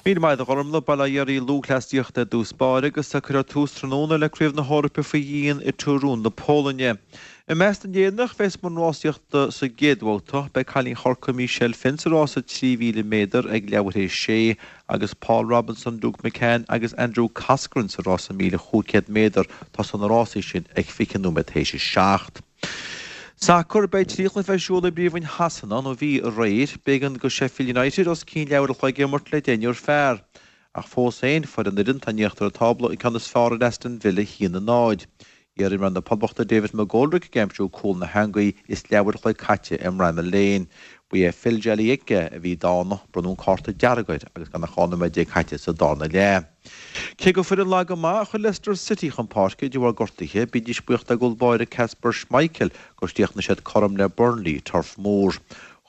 Míle maith agat a Ghormlaith. Bail ó Dhia oraibh lúthchleasaíocht ar dtús báire agus cuirfear tús tráthnóna le Craobh na hEorpa faoi dhíon i Torun na Polainne. I measc na nÉireannach a bheas i mbun rásaíochta sa gcéad bhabhta, beidh cailín Chorcaí Michelle Finn sa rása 3,000 méadar ag leathuair théis 6 agus Paul Robinson, Luke McCann agus Andrew Coscoran sa rása 1,500 méadar. Tosóidh na rásaí sin ag 20 nóiméad théis 7. Sacar, Beidh 3 chluiche ar siúl i bPríomhroinn Shasana, nó bhí, aréir. B'éigean do Sheffield United os cionn leathuair a chloig a imirt le deichniúr fear. Ach fós féin, fuair an fhoireann atá in íochtar an tábla an ceann is fearr ar Aston Villa 1-0. Iarimreoir na Poblachta David McGoldrick ag aimsiú cúl na heangaí is leathuair a chloig caite i mBramall Lane. Ba é Phil Jagielka a bhí dána, bronnadh an cárta dearg air agus gan ach 12 nóiméad caite sa darna leath. Cé gur foireann lag go maith a chuir Leicester City chun páirce de bharr gortuithe, bídís buíoch dá gcúl báire Kasper Schmeichel gur chríochnaigh siad cothrom le Burnley i Turf Moor.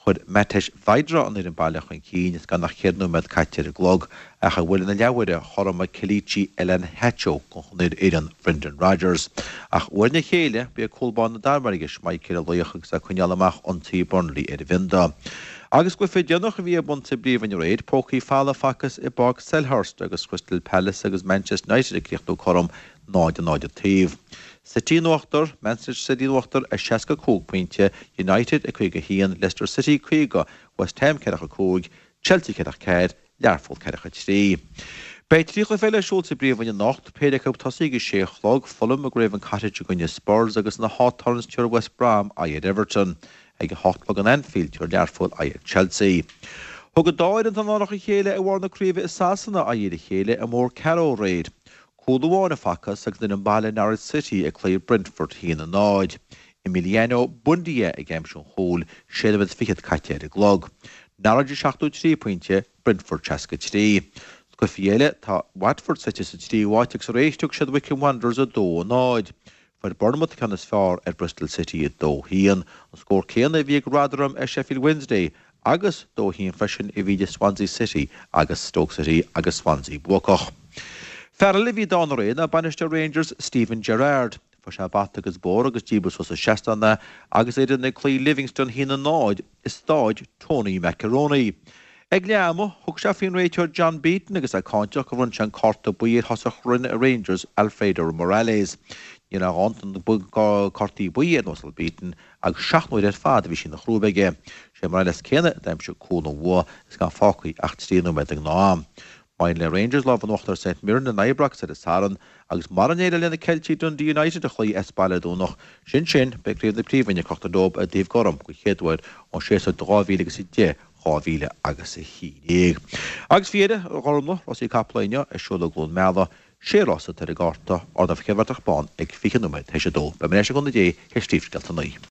Chuir Matej Vydra an fhoireann baile chun cinn is gan ach ceithre nóiméad caite ar an gclog, ach i bhuille na leathuaire chothromaigh Kelechi Iheanacho don fhoireann Brendan Rodgers. Ach uair ina chéile, ba é cúl báire na Danmhairge, Schmeichel a laoch agus é ag coinneáil amach ionsaí Burnley ar an bhionda. Agus cluiche déanach a bhí ar bun sa bPríomhroinn aréir, pócaí folamh facthas i bPáirc Selhurst agus Crystal Palace agus Manchester United ag críochnú cothrom 0-0 an taobh. City in uachtar, Manchester City in uachtar ar 65 pointe, United ag 51, Leicester City 50, West Ham 45, Chelsea 44, Learpholl 43. Beidh 3 chluiche eile ar siúl sa bPríomhroinn anocht, péire acu ag tosaí ag a sé a chlog, Fulham i gCraven Cottage i gcoinne Spurs agus na Hawthorns tabharfaidh West Brom aghaidh ar Everton. Ag a hocht a chlog in Anfield tabharfaidh Learpholl aghaidh ar Chelsea. Thug an dá fhoireann atá i lárnach a chéile ar bharr na craoibhe i Sasana aghaidh ar a chéile i mBorg Carrow aréir. Cúl amháin a facthas agus an fhoireann baile Norwich City ag cloí Brentford 1-0. Emiliano Buendia ag aimsiú an chúil, sé nóiméad fichead caite ar an gclog. Norwich 73 pointe, Brentford 63. Sna cluichí eile, tá Watford suite sa tríú háit agus aréir thug siad Wycombe Wanderers 2-0. Fuair Bournemouth an ceann is fearr ar Bristol City 2-1. An scór céanna a bhí ag Rotherham ar Sheffield Wednesday agus 2-1 freisin a bhí idir Swansea City agus Stoke City agus Swansea buacach. Fear eile a bhí dána aréir ná bainisteoir Rangers Steven Gerrard. Fuair sé bata agus bóthar agus díbreadh suas as seastán é agus a fhoireann ag cloí Livingston 1-0 i Stáid Tony Macaroni. Ag leath ama, thug sé faoin réiteoir John Beaton agus é cáinteach gur bhronn sé an cárta buí ar thosach Rangers Alfredo Morales. Ní raibh a dhóthain cártaí buí ar an Uasal Beaton agus 7 n-uaire ar fad a bhí sí ina chrúib aige. Sé Morales céanna a d'aimsigh cúl an bhua is gan fágtha ach 3 nóiméad den ghnáth-am. Maidir le Rangers lámh in uachtar ar St Mirren in Ibrox ar an Satharn agus mara n-éireoidh le na Ceiltigh Dundee United a chloí as baile ar an Domhnach sin sin, beidh Craobh na Príomhroinne crochta leo ar an dtaobh gorm den chéad uair ón séasúr 2010 2011. Agus faoi dheireadh, a Ghormlaith, rásaí capall inniu ar siúl i gCluain Meala, sé rás atá ar an gcárta, ardán Chéad Bhratach Bán ag 20 nóiméad théis a dó. Beidh mé ar ais le cúnamh Dé théis Príomhscéalta a naoi.